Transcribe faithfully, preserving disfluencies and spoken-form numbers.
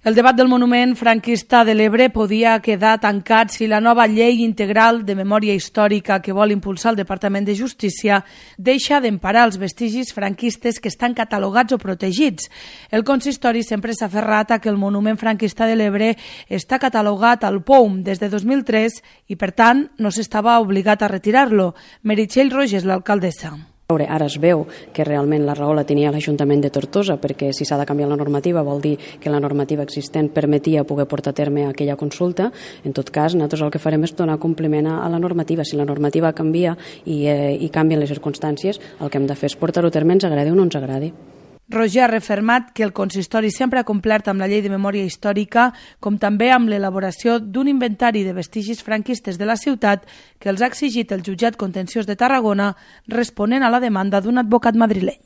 El debat del monument franquista de l'Ebre podia quedar tancat si la nova llei integral de memòria històrica que vol impulsar el Departament de Justícia deixa d'emparar els vestigis franquistes que estan catalogats o protegits. El consistori sempre s'ha aferrat a que el monument franquista de l'Ebre està catalogat al P O U M des de dos mil tres i, per tant, no s'estava obligat a retirar-lo. Meritxell Roges, l'alcaldessa. Ara es veu que realment la raó la tenia l'Ajuntament de Tortosa, perquè si s'ha de canviar la normativa vol dir que la normativa existent permetia poder portar a terme aquella consulta. En tot cas, nosaltres el que farem és donar compliment a la normativa. Si la normativa canvia i, eh, i canvien les circumstàncies, el que hem de fer és portar-ho a terme, ens agradi o no ens agradi. Roger ha refermat que el consistori sempre ha complert amb la llei de memòria històrica, com també amb l'elaboració d'un inventari de vestigis franquistes de la ciutat que els ha exigit el jutjat contenciós de Tarragona responent a la demanda d'un advocat madrileny.